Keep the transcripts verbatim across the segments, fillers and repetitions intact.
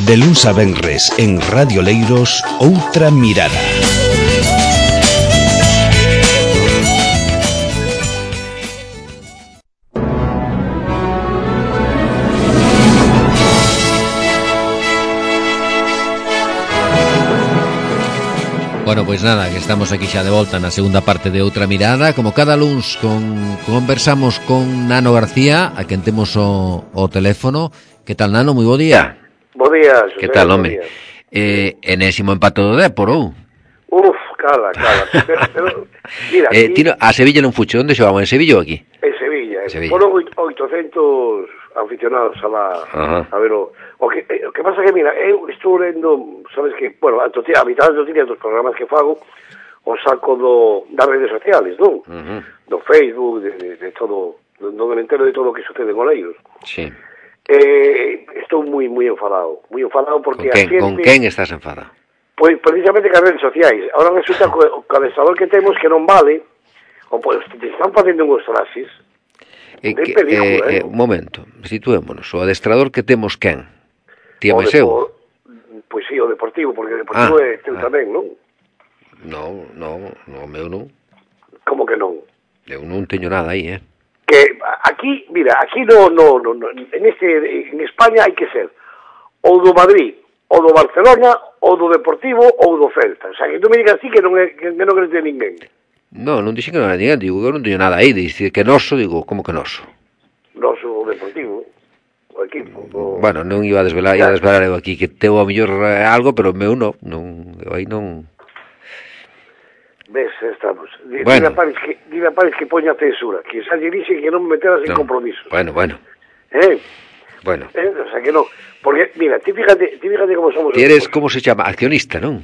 De luns a venres en Radio Leiros, Outra Mirada. Bueno, pois nada, que estamos aquí xa de volta na segunda parte de Outra Mirada. Como cada luns con, conversamos con Nano García, a quen temos o, o teléfono. Que tal, Nano? Moi bo día. Bo día, Xosé. Que tal, home? Eh, enésimo empate do Dépor, ou? Uf, cala, cala. Pero, pero, mira, eh, aquí, tiro, a Sevilla non fucho. Onde xogamos? En Sevilla ou aquí? En Sevilla. Sevilla. Foron oitocentos aficionados a la, a ver o... O que, o que pasa que, mira, eu estou lendo, sabes que, bueno, a, a mitad dos días dos programas que fago, o saco do, das redes sociales, non? Uh-huh. Do Facebook, de, de, de todo, do, do entero de todo o que sucede en Oleiros. Sí. Eh, estou moi, moi enfadado, moi enfadado porque con quen, a xente... Con quen estás enfadado? Pois, precisamente, con as redes sociais. Ahora resulta que o adestrador que temos que non vale, o pois, te están facendo unhos traxes, eh, que, película, eh, eh, un momento, situémonos, o adestrador que temos quen? Tío Meseu? Pois sí, o Deportivo, porque o Deportivo ah, é teu ah. tamén, non? Non, non, non, o meu non. Como que non? Eu non teño nada aí, eh? Que aquí, mira, aquí no, no, no, no en este, en España hai que ser ou do Madrid, ou do Barcelona, ou do Deportivo, ou do Celta. O sea, que tú me digas así que non é, que non crees de ninguén. Non, non dixen que non era ninguén, digo que eu non teño nada aí, dicir que noso, digo, como que noso? Noso Deportivo, o equipo. O... Bueno, non iba a desvelar, iba a desvelar eu aquí que teu a mellor algo, pero o meu non, non, eu aí non... Ves, estamos. Dile bueno. a Paris que, dile a Paris que poña censura, que xa lle dixe que non me meteras en no. compromisos. Bueno, bueno. Eh? Bueno. Eh? O sea que non. Porque, mira, ti fíjate, ti fíjate como somos... Ti eres, como se chama? Accionista, non?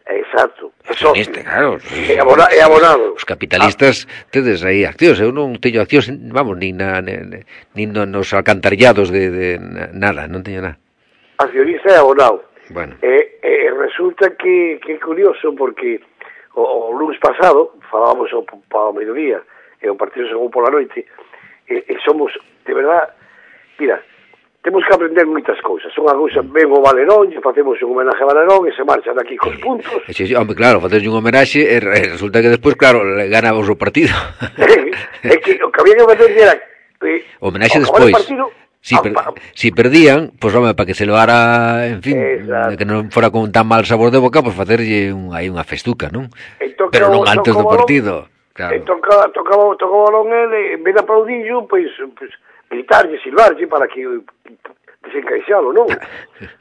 Exacto. Accionista, claro. É abonado, é abonado. Os capitalistas ah. tedes aí accións. Eu non teño accións, vamos, nin na, nin nos alcantarillados de, de nada, non teño nada. Accionista é abonado. Bueno. Eh, eh, resulta que, que é curioso porque o, o lunes pasado falábamos o, para o mediodía e o partido según pola noite e, e somos, de verdad, mira, temos que aprender moitas cousas. Son a cousa, ven o Valerón, e facemos un homenaje a Valerón, e se marchan aquí cos puntos. Sí, sí, hombre, claro, faces un homenaxe, e resulta que despois, claro, ganamos o partido. É que o que había que fazer era... Eh, homenaxe despois. Si, per, si perdían, pois, pues, home, para que se loara, en fin, exacto, que non fora con tan mal sabor de boca, pois pues, facerlle un, aí unha festuca, non? Toca, pero non antes do partido. Claro. E toca, tocaba, tocaba o balón ele, en vez de aplaudillo, pois... Pues, gritarlle, silbarlle para que desencaixalo, non?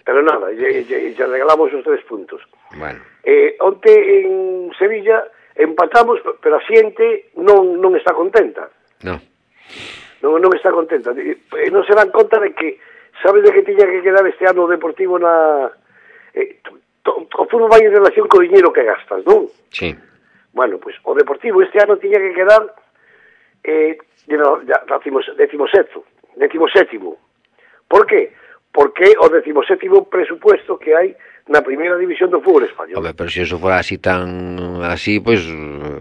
Pero nada, lle, lle, lle regalamos os tres puntos. Bueno. Eh, onte en Sevilla empatamos, pero a xente non, non está contenta. No. Non, non está contenta. Eh, non se dan conta de que, sabes de que tiña que quedar este ano o Deportivo na... Eh, to, to, o fútbol vai en relación co diñeiro que gastas, non? Sí. Bueno, pois pues, o Deportivo este ano tiña que quedar... Eh, No, ya, decimos, decimos sexto, decimos sétimo. ¿Por qué? Porque o decimos sétimo presupuesto que hai na primeira división do fútbol español. Hombre, pero se eso fora así tan así, pues,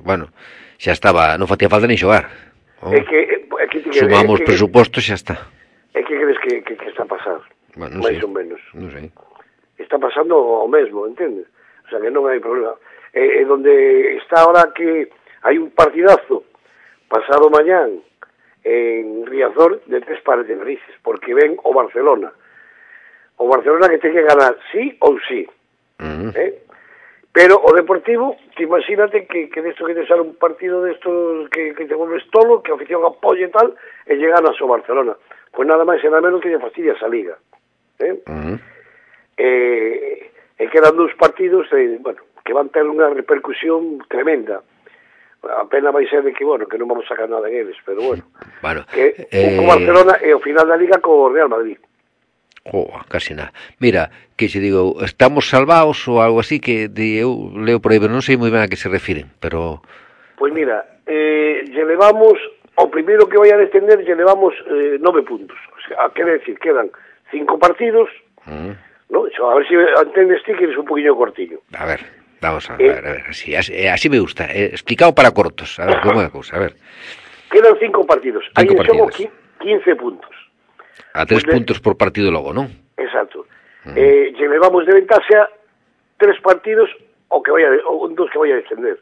bueno, xa estaba, non facía falta ni xogar. Oh. É que, é que, sumamos é que, presupostos, xa está. É que crees que, que, que está a pasar? Bueno, non máis sei. ou menos. Non sei. Está pasando o mesmo, entendes? O sea, que non hai problema. É, é donde está ahora que hai un partidazo pasado mañán en Riazor de tres pares de narices, porque ven o Barcelona. O Barcelona que ten que ganar sí ou sí. Uh-huh. ¿Eh? Pero o Deportivo, que imagínate que, que desto que te sale un partido de estos que, que te vuelves tolo, que a afición apoye e tal, e lle ganas o Barcelona. Pues nada máis e nada menos que lle fastidia esa liga. ¿Eh? Uh-huh. Eh, e quedan dous partidos eh, bueno, que van ter unha repercusión tremenda. A pena vai ser de que, bueno, que non vamos a sacar nada en eles, pero bueno. Bueno que eh... o Barcelona e o final da Liga co Real Madrid. Oh, casi nada. Mira, que se digo, estamos salvados ou algo así, que de, eu leo por aí, pero non sei moi ben a que se refiren, pero... Pois mira, eh, lle levamos, o primeiro que vai a descender, lle levamos eh, nove puntos. O sea, quere decir, quedan cinco partidos, uh-huh. ¿No? Eso, a ver se si entendes ti que eres un poquinho cortillo. A ver... Vamos a ver, eh, a ver, así, así, así me gusta, eh, explicado para cortos, a ver, como é a cousa, a ver. Quedan cinco partidos, cinco hai en xogo quince puntos. A tres pues puntos de... por partido logo, non? Exacto. Uh-huh. Eh, lle levamos de ventaxa tres partidos o que vaya, o dos que vaya a descender.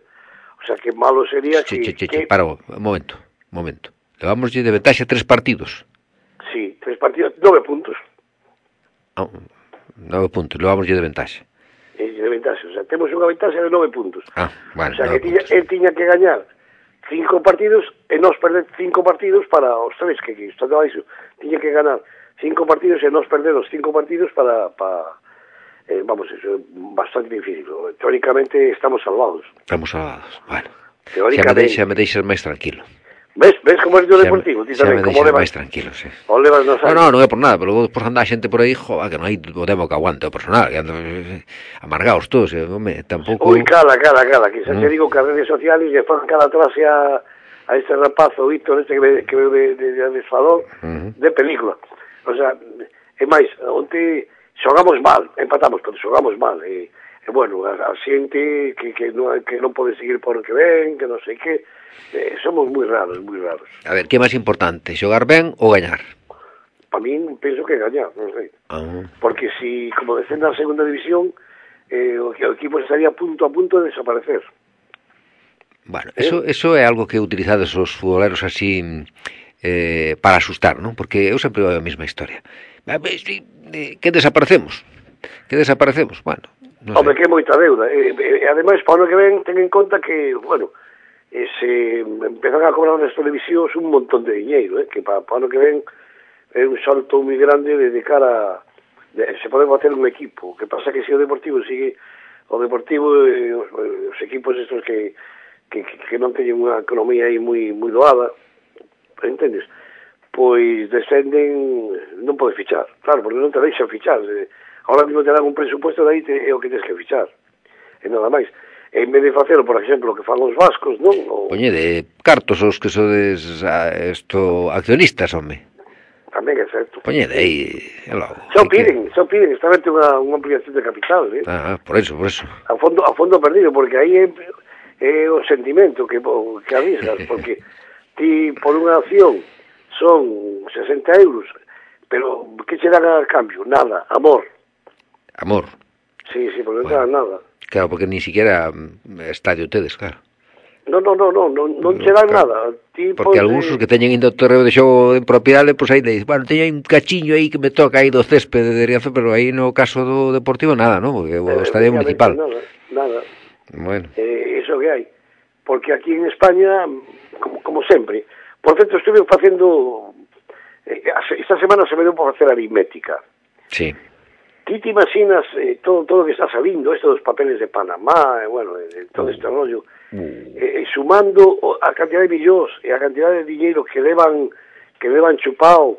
O sea, que malo sería che, que... Che, che, que... che, para, un momento, un momento. Levamos de ventaxa tres partidos. Sí, tres partidos, nove puntos. Ah, nove puntos, levamos de ventaxa. Eh, de ventaxa, o sea, temos unha ventaxa de nove puntos. Ah, bueno, o sea, que tiña, él tiña que gañar cinco partidos e nos perder cinco partidos para os tres, que, que está todo iso. Tiña que ganar cinco partidos e nos perder os cinco partidos para... para eh, vamos, eso é bastante difícil. Teóricamente estamos salvados. Estamos salvados, bueno. Teóricamente... Xa me, deixa, me deixas máis tranquilo. Ves, ves como é o deportivo, ti tamén, como levas máis tranquilo, sí. O levas nos años. No, no, non é por nada, pero despois anda a xente por aí, joa, que non hai o demo que aguante o personal, que anda amargados todos, e, home, tampouco... Ui, cala, cala, cala, que xa no. te digo que as redes sociales lle fan cada trase a, a este rapazo, Víctor, este que ve, que ve de, de, de desfador, uh-huh. de película. O sea, é máis, onte xogamos mal, empatamos, pero xogamos mal, e, e bueno, a, a xente que, que, non, que non pode seguir por o que ven, que non sei que, eh, somos moi raros, moi raros. A ver, que é máis importante, xogar ben ou gañar? Para min, penso que gañar, non sei. Uh-huh. Porque si, como descenda a segunda división, eh, o, o equipo estaría punto a punto de desaparecer. Bueno, eso, ¿Eh? eso é algo que utilizades os futboleros así eh, para asustar, non? Porque eu sempre veo a mesma historia. Que desaparecemos? Que desaparecemos? Bueno, non sei. Hombre, que é moita deuda. E, e, ademais, para o ano que ven, ten en conta que, bueno, e se empezan a cobrar nas televisións un montón de diñeiro, eh, que para, para o ano que ven é un salto moi grande de, de cara a, de, se pode bater un equipo. O que pasa que se o Deportivo sigue o Deportivo eh, os, os equipos estos que, que, que non teñen unha economía aí moi, moi doada, entendes? Pois descenden, non pode fichar, claro, porque non te deixan fichar. Ahora mismo te dan un presupuesto, de aí te, é o que tens que fichar, e nada máis. En vez de facelo, por exemplo, o que fan os vascos, non? O... Poñede cartos os que sodes a, esto, accionistas, home. Tamén é certo. Poñede aí, é logo. Xa piden, xa piden, está vente unha, unha ampliación de capital, eh? Ah, por eso, por eso. A fondo, a fondo perdido, porque aí é, é o sentimento que, que arriscas, porque ti por unha acción son sesenta euros, pero que che dan a cambio? Nada, amor. Amor. Sí, sí, porque non bueno. te dan nada. Claro, porque ni siquiera estadio tedes, claro. No, no, no, no, non, non che dan claro. nada. Ti porque pode... algúns que teñen indo ao terreo de xogo en propiedade, pois pues aí dices, bueno, teño un cachiño aí que me toca aí do céspede de Riazor, pero aí no caso do Deportivo nada, ¿no? Porque o eh, estadio municipal. Nada, nada. Bueno. Eh, eso que hai. Porque aquí en España, como, como sempre, por certo, estuve facendo, eh, esta semana se me deu por facer aritmética. Sí. Ti te imaginas eh, todo todo que está salindo, esto dos papeles de Panamá, eh, bueno, eh, todo este rollo, eh, eh, sumando a cantidad de millóns e a cantidad de dinheiro que levan que levan chupado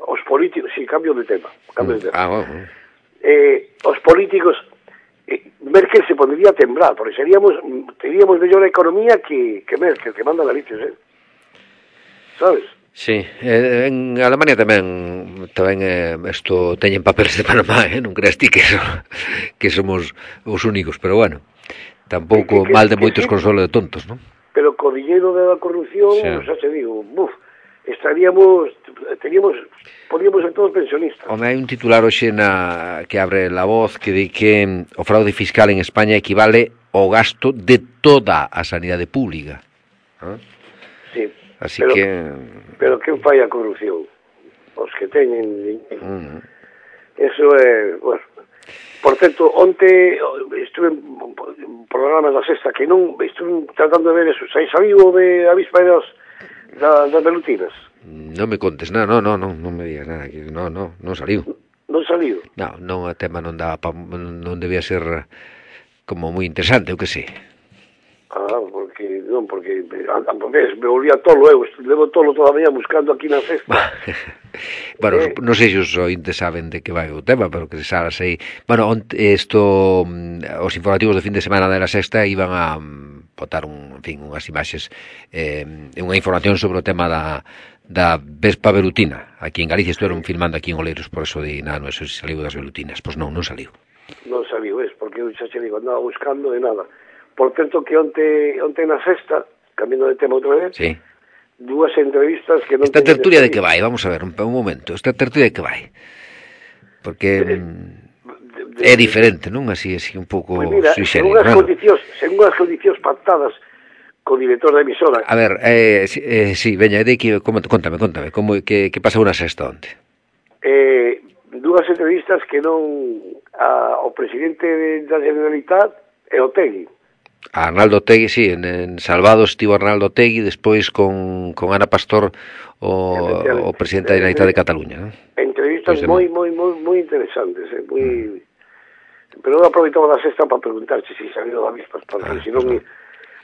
os políticos, sí, cambio de tema, cambio de tema. Ah, bueno. Eh, os políticos, eh, Merkel se pondría a temblar, porque seríamos, teríamos mellor economía que, que Merkel, que manda narices, eh? Sabes? Sí, eh, en Alemania tamén tamén eh, isto teñen papeles de Panamá, eh? Non creas ti que, so, que somos os únicos, pero bueno, tampouco que, que, mal de moitos sí, consolo de tontos, non? Pero co diñeiro da corrupción, sí. Xa te digo, buf, estaríamos, teríamos, podíamos ser todos pensionistas. Home, hai un titular hoxe na, que abre La Voz que di que o fraude fiscal en España equivale ao gasto de toda a sanidade pública. ¿Eh? Sí. Así pero, que... Pero quen fai a corrupción? Os que teñen... Uh-huh. Eso é... Bueno, por certo, onte estuve en programas da sexta que non... Estuve tratando de ver eso. Sai saliu de avispa das, da, das velutinas? Non me contes, non, non, non, non me digas nada. Que non, non, non saliu. Non saliu? Non, non, o tema non daba pa, non debía ser como moi interesante, eu que sei. Ah, porque, non, porque ves, me volvía tolo, eu levo tolo toda a mañá buscando aquí na cesta. Bueno, eh, non sei se os ointes saben de que vai o tema, pero que se sabe aí. Bueno, isto, os informativos de fin de semana da sexta iban a botar un, en fin, unhas imaxes, eh, unha información sobre o tema da, da Vespa velutina. Aquí en Galicia estuveron filmando aquí en Oleiros, por eso di, nada, non sei se saliu das velutinas. Pois non, non saliu. Non saliu, es, porque eu xa che digo, andaba buscando de nada. Por certo que onte, onte na sexta, cambiando de tema outra vez, sí, dúas entrevistas que non... Esta tertulia de que vai, vamos a ver, un, un momento, esta tertulia de que vai. porque mm, é diferente, non? Así, así un pouco pues mira, sui según generis, as bueno. condicións, según as condicións pactadas co director da emisora. A ver, eh, si, eh, sí, veña, de que, como, contame, contame, como que, que pasa unha sexta onte? Eh, dúas entrevistas que non a, o presidente da Generalitat e o Tegui. A Arnaldo Tegui, sí, en, en Salvados estivo Arnaldo Tegui, despois con, con Ana Pastor, o, o presidente da Generalitat de Cataluña, ¿no? Entrevistas moi, moi, moi, moi interesantes, eh, moi... Mm. Pero non aproveitaba da sexta para preguntarche se si salió da avispas, porque ah, senón... No.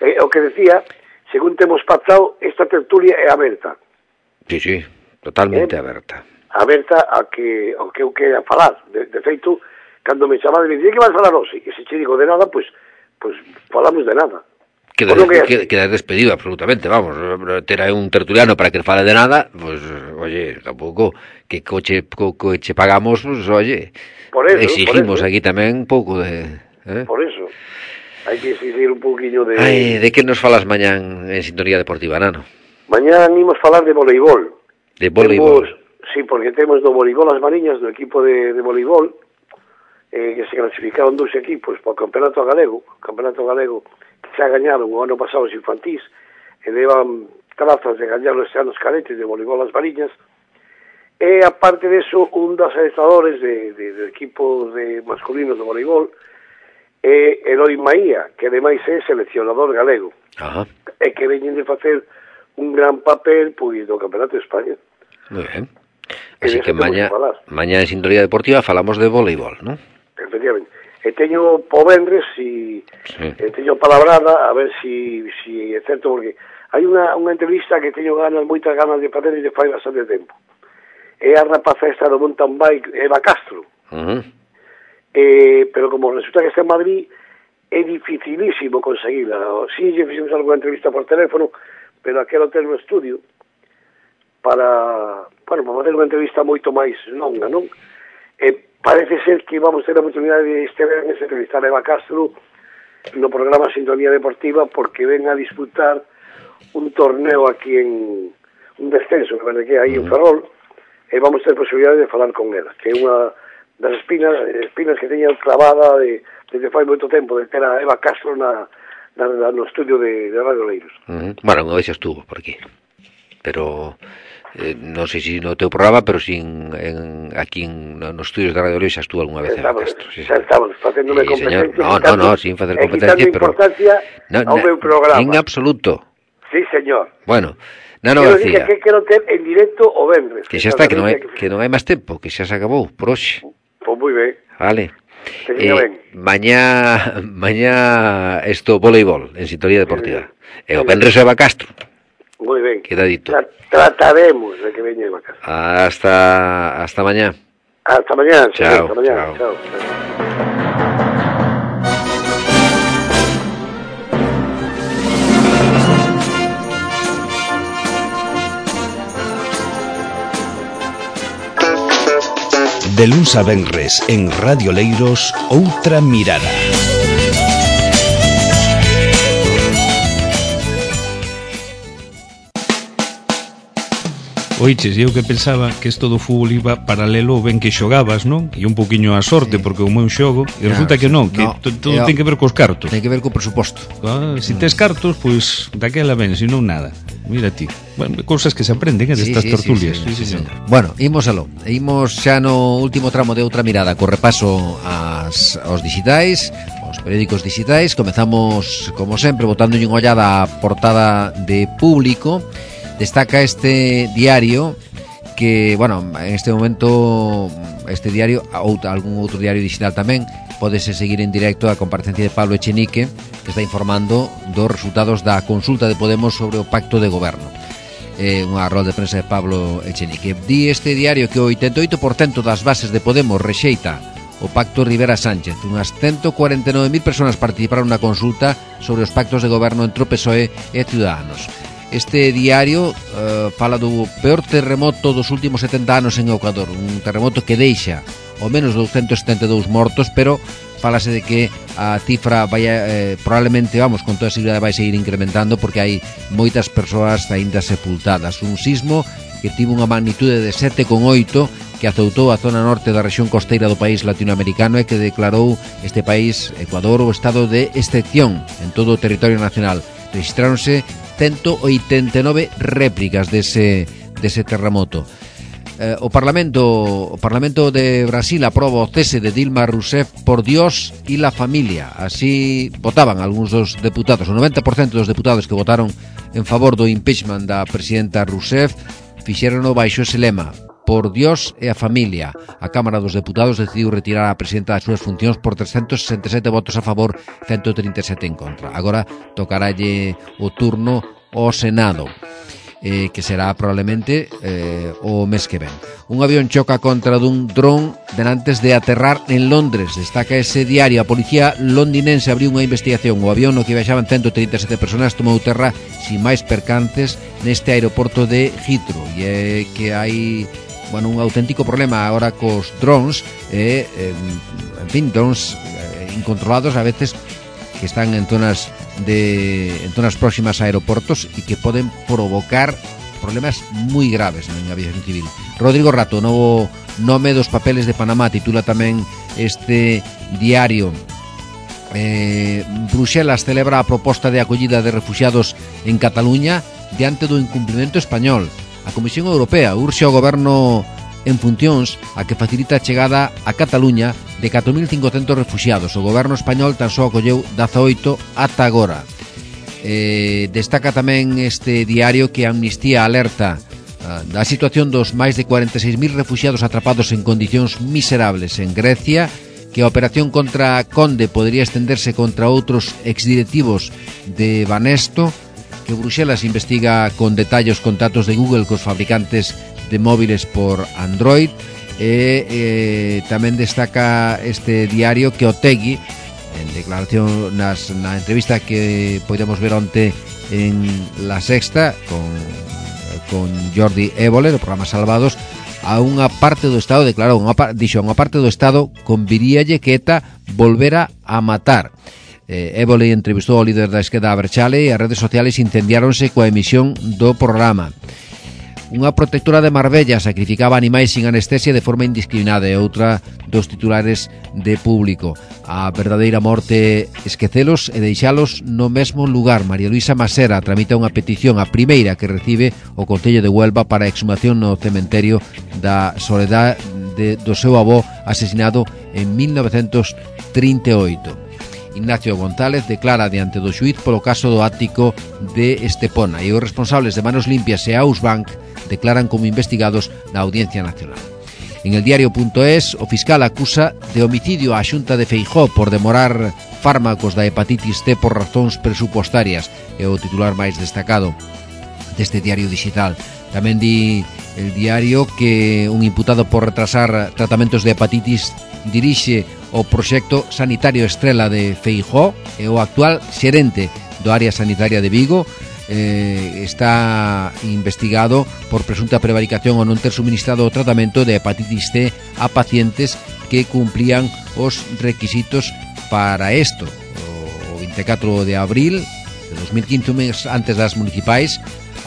Eh, o que decía, según temos pactado, esta tertulia é aberta. Sí, sí, totalmente eh, aberta. Aberta a que, ao que eu queira falar. De, de feito, cando me chamaba me dicía que vas falar hoxe, e se che digo de nada, pois pues, pues, falamos de nada. Queda, que, queda despedido absolutamente, vamos, ter a un tertuliano para que fale de nada, pues, oye, tampouco, que coche, co, coche pagamos, pues, oye, por eso, exigimos por eso. Aquí tamén un pouco de... Eh? Por eso, hai que exigir un pouquiño de... Ai, de que nos falas mañán en Sintonía Deportiva, Nano? Mañán imos falar de voleibol. De voleibol? Temos, sí, porque temos do voleibol as Mariñas, do equipo de, de voleibol, eh, que se clasificaron dos equipos para o Campeonato Galego, o Campeonato Galego que xa gañaron o ano pasado os infantís, e levan trazas de gañar este ano os cadetes de voleibol as Mariñas, e aparte deso, un dos adestradores de, de, de equipo de masculinos de voleibol é Eloi Maía, que ademais é seleccionador galego. Ajá. E que veñen de facer un gran papel pois do Campeonato de España. Moi ben. Así que mañá, mañá en Sintonía Deportiva falamos de voleibol, non? Efectivamente. E teño po vendres si sí. E teño palabrada a ver si, si é certo, porque hai unha, unha entrevista que teño ganas, moitas ganas de facer e de fai bastante tempo. É a rapaza esta do mountain bike, Eva Castro. Uh-huh. Eh, pero como resulta que está en Madrid, é dificilísimo conseguirla. Si, sí, fixemos alguna entrevista por teléfono, pero aquelo ter no estudio para, bueno, para fazer unha entrevista moito máis longa, non? E parece ser que vamos ter a oportunidade de este verán de entrevistar a Eva Castro no programa Sintonía Deportiva, porque ven a disputar un torneo aquí en un descenso, que vende que hai en Ferrol, e vamos ter posibilidade de falar con ela, que é unha das espinas, espinas que teña clavada de, desde fai moito tempo, de ter a Eva Castro na, na, na, no estudio de, de Radio Leiros. Uh-huh. Bueno, unha vez estuvo por aquí, pero eh, non sei se no teu programa, pero sin en, aquí en, nos estudios de Radio Leiros xa estuvo algunha vez Eva Castro. Sí, xa estamos facéndome sí, competencia. No, no, no, sin facer competencia, pero... importancia no, ao meu programa. En absoluto. Sí, señor. Bueno, Nano quero García. Quero que quero ter en directo o vendres. Que xa está, que non hai, que non hai máis tempo, que xa se acabou, por hoxe. Pois moi ben. Vale. Eh, ben. Mañá, mañá esto voleibol en Sintonía Deportiva. Sí, e o vendres Eva Castro. Moi ben. Queda dito. Tra trataremos de que veña Eva Castro. Hasta, hasta mañá. Hasta mañá. Chao. Hasta mañá. Chao. Chao. De luns a venres en Radio Leiros, Outra Mirada. Oiches, eu que pensaba que isto do fútbol iba paralelo ben que xogabas, non? E un poquinho a sorte, sí. Porque o meu xogo, e resulta que non, que no, todo yo, ten que ver cos cartos. Ten que ver co presuposto. Ah, se si tes cartos, pois daquela ben, se non nada. Mira ti. Bueno, cousas que se aprenden, eh, destas sí, sí, tertulias. Sí, sí, sí, sí, sí. Bueno, imos aló. Imos xa no último tramo de Outra Mirada co repaso ás, aos digitais, aos periódicos digitais. Comezamos, como sempre, botando unha ollada á portada de Público. Destaca este diario que, bueno, en este momento este diario, ou algún outro diario digital tamén, pódese seguir en directo a comparecencia de Pablo Echenique, que está informando dos resultados da consulta de Podemos sobre o pacto de goberno. Eh, unha rolda de prensa de Pablo Echenique. Di este diario que o oitenta e oito por cento das bases de Podemos rexeita o pacto Rivera Sánchez. Unhas ciento cuarenta e nove mil persoas participaron na consulta sobre os pactos de goberno entre o P S O E e Ciudadanos. Este diario uh, fala do peor terremoto dos últimos setenta anos en Ecuador, un terremoto que deixa ao menos douscentos setenta e dous mortos, pero falase de que a cifra vai eh, probablemente, vamos, con toda a seguridade vai seguir incrementando porque hai moitas persoas aínda sepultadas. Un sismo que tivo unha magnitude de sete coma oito que que azoutou a zona norte da rexión costeira do país latinoamericano e que declarou este país, Ecuador, o estado de excepción en todo o territorio nacional. Registráronse ciento oitenta e nove réplicas dese, dese terremoto. Eh, o Parlamento o Parlamento de Brasil aproba o cese de Dilma Rousseff por Dios e la familia. Así votaban algúns dos deputados. O noventa por cento dos deputados que votaron en favor do impeachment da presidenta Rousseff fixérono baixo ese lema: por Dios e a familia. A Cámara dos Deputados decidiu retirar a presidenta das súas funcións por trescentos sesenta e sete votos a favor, ciento trinta e sete en contra. Agora tocaralle o turno ao Senado, eh, que será probablemente eh, o mes que ven. Un avión choca contra dun dron denantes de aterrar en Londres. Destaca ese diario. A policía londinense abriu unha investigación. O avión no que viaxaban ciento trinta e sete personas tomou terra sin máis percances neste aeroporto de Heathrow. E é que hai, bueno, un auténtico problema agora cos drones, eh, eh, en fin, drones eh, incontrolados a veces, que están en zonas de en zonas próximas a aeroportos e que poden provocar problemas moi graves en aviación civil. Rodrigo Rato, novo nome dos papeles de Panamá, titula tamén este diario. eh, Bruxelas celebra a proposta de acollida de refuxiados en Cataluña diante do incumprimento español. A Comisión Europea urxe ao goberno en funcións a que facilita a chegada a Cataluña de catro mil cincocentos refuxiados. O goberno español tan só acolleu dezaoito ata agora. Eh, destaca tamén este diario que Amnistía alerta uh, da situación dos máis de cuarenta e seis mil refuxiados atrapados en condicións miserables en Grecia, que a operación contra Conde podría estenderse contra outros exdirectivos de Banesto, que Bruxelas investiga con detalle os contratos de Google cos fabricantes de móviles por Android. E eh, tamén destaca este diario que Otegi, en declaración nas, na entrevista que podemos ver onte en La Sexta con, con Jordi Évole no programa Salvados, a unha parte do Estado declarou, unha, dixo, a unha parte do Estado conviríalle que ETA volvera a matar. eh, Évole entrevistou ao líder da esquerda Aberchale e as redes sociales incendiáronse coa emisión do programa. Unha protectora de Marbella sacrificaba animais sin anestesia de forma indiscriminada, e outra dos titulares de Público. A verdadeira morte esquecelos e deixalos no mesmo lugar. María Luisa Masera tramita unha petición, a primeira que recibe o Concello de Huelva para a exhumación no cementerio da Soledad de, do seu avó asesinado en mil novecentos trinta e oito. Ignacio González declara diante do xuíz polo caso do ático de Estepona, e os responsables de Manos Limpias e Ausbank declaran como investigados na Audiencia Nacional. En el diario.es, o fiscal acusa de homicidio á Xunta de Feijóo por demorar fármacos da hepatitis C por razóns presupuestarias. É o titular máis destacado deste diario digital. Tamén di el diario que un imputado por retrasar tratamentos de hepatitis dirixe o proxecto sanitario Estrela de Feijóo, e o actual xerente do área sanitaria de Vigo eh, está investigado por presunta prevaricación ao non ter suministrado o tratamento de hepatitis C a pacientes que cumplían os requisitos para isto. O vinte e catro de abril de dos mil quince, un mes antes das municipais,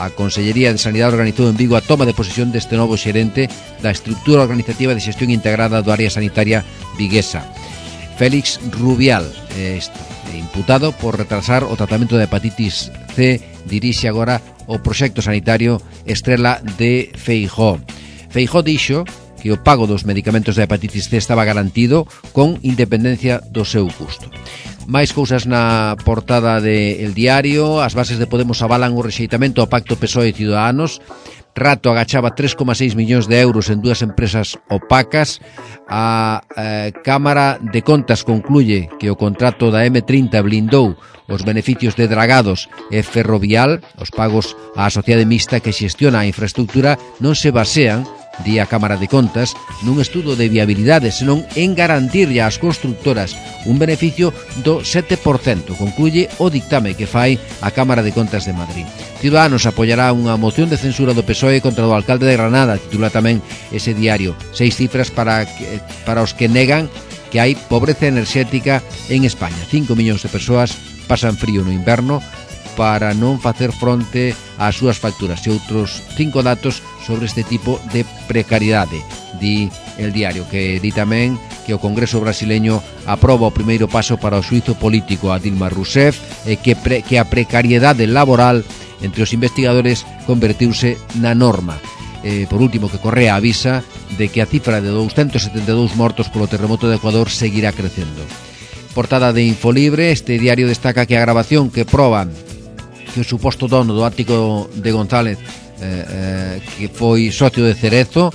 a Consellería de Sanidade organizou en Vigo a toma de posesión deste novo xerente da estrutura organizativa de xestión integrada do área sanitaria viguesa. Félix Rubial, este, imputado por retrasar o tratamento de hepatitis C, dirixe agora o proxecto sanitario Estrela de Feijóo. Feijóo dixo que o pago dos medicamentos de hepatitis C estaba garantido con independencia do seu custo. Máis cousas na portada de El Diario. As bases de Podemos avalan o rexeitamento ao pacto P S O E e Ciudadanos. Rato agachaba tres coma seis millóns de euros en dúas empresas opacas. A eh, Cámara de Contas concluye que o contrato da eme trinta blindou os beneficios de Dragados e Ferrovial. Os pagos á sociedade mixta que xestiona a infraestructura non se basean, di a Cámara de Contas, nun estudo de viabilidade, senón en garantirlle ás constructoras un beneficio do sete por cento, concluye o dictame que fai a Cámara de Contas de Madrid. Ciudadanos apoiará unha moción de censura do P S O E contra o alcalde de Granada, titula tamén ese diario. Seis cifras para, que, para os que negan que hai pobreza enerxética en España. Cinco millóns de persoas pasan frío no inverno, para non facer fronte ás súas facturas e outros cinco datos sobre este tipo de precariedade. Di el diario que di tamén que o Congreso brasileño aproba o primeiro paso para o xuízo político a Dilma Rousseff e que, pre, que a precariedade laboral entre os investigadores convertiuse na norma. Eh, por último, que Correa avisa de que a cifra de douscentos setenta e dous mortos polo terremoto de Ecuador seguirá crecendo. Portada de Infolibre, este diario destaca que a grabación que proba que o suposto dono do ático de González eh, eh, que foi socio de Cerezo,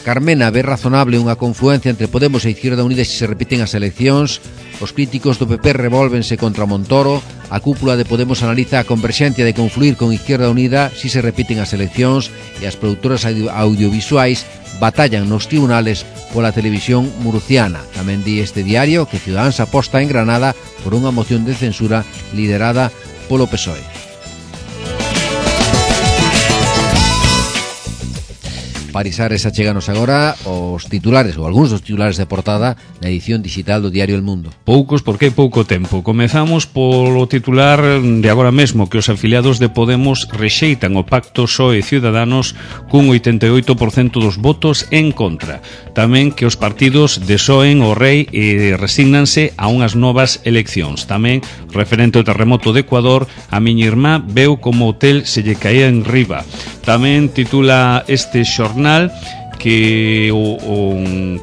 Carmena ve razonable unha confluencia entre Podemos e Izquierda Unida se se repiten as eleccións. Os críticos do P P revolvense contra Montoro. A cúpula de Podemos analiza a converxencia de confluir con Izquierda Unida si se repiten as eleccións, e as produtoras audiovisuais batallan nos tribunales pola televisión murciana. Tamén di este diario que Ciudadanos aposta en Granada por unha moción de censura liderada polo P S O E. Parisares, acheganos agora os titulares, ou algúns dos titulares de portada na edición digital do diario El Mundo. Poucos porque hai pouco tempo. Comezamos polo titular de agora mesmo, que os afiliados de Podemos rexeitan o pacto P S O E Ciudadanos cun oitenta e oito por cento dos votos en contra. Tamén que os partidos desoen o rei e resígnanse a unhas novas eleccións. Tamén, referente ao terremoto de Ecuador, a miña irmá veu como o hotel se lle caía en riba. Tamén titula este xornal que o, o,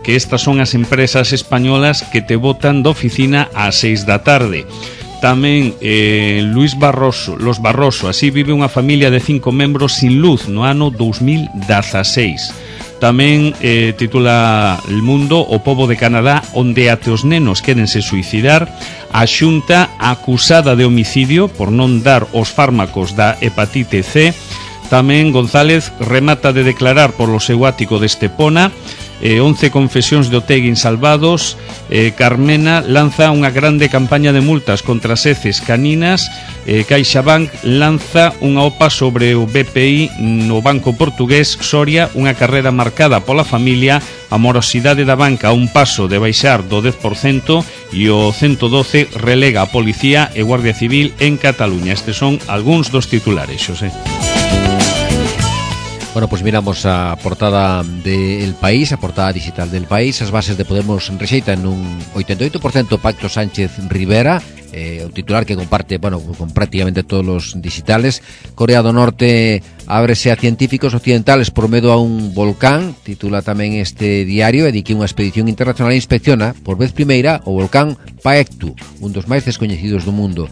que estas son as empresas españolas que te botan da oficina ás seis da tarde. Tamén eh, Luis Barroso, Los Barroso, así vive unha familia de cinco membros sin luz no ano dos mil dezaseis. Tamén eh, titula El Mundo, o pobo de Canadá onde até os nenos quérense suicidar. A Xunta acusada de homicidio por non dar os fármacos da hepatite C. Tamén González remata de declarar polo seu ático de Estepona. eh, once confesións de Otegui salvados. eh, Carmena lanza unha grande campaña de multas contra as heces caninas. eh, CaixaBank lanza unha OPA sobre o B P I no banco portugués. Soria, unha carreira marcada pola familia. A morosidade da banca a un paso de baixar do dez por cento, e o ciento doce relega a Policía e Guardia Civil en Cataluña. Estes son algúns dos titulares, Xosé. Bueno, pues miramos a portada del País, a portada digital del País. As bases de Podemos rexeitan un oitenta e oito por cento pacto Sánchez-Rivera, eh, o titular que comparte, bueno, con prácticamente todos los digitales. Corea do Norte ábrese a científicos occidentales por medo a un volcán, titula tamén este diario, e di que unha expedición internacional inspecciona por vez primeira o volcán Paektu, un dos máis descoñecidos do mundo.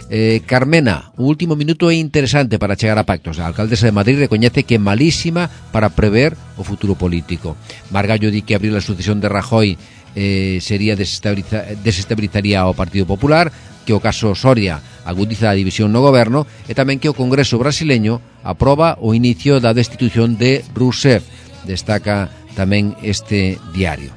Eh, Carmena, o último minuto é interesante para chegar a pactos. A alcaldesa de Madrid recoñece que é malísima para prever o futuro político. Margallo di que abrir a sucesión de Rajoy eh, sería desestabiliza, desestabilizaría ao Partido Popular, que o caso Soria agudiza a división no goberno, e tamén que o Congreso brasileño aproba o inicio da destitución de Rousseff. Destaca tamén este diario.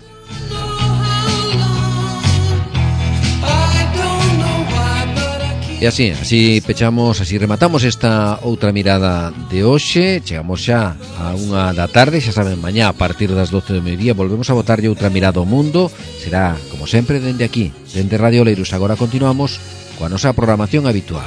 E así, así pechamos, así rematamos esta outra mirada de hoxe. Chegamos xa a unha da tarde, xa saben, mañá a partir das doce do mediodía volvemos a botarlle outra mirada ao mundo. Será, como sempre, dende aquí, dende Radio Leiros. Agora continuamos coa nosa programación habitual.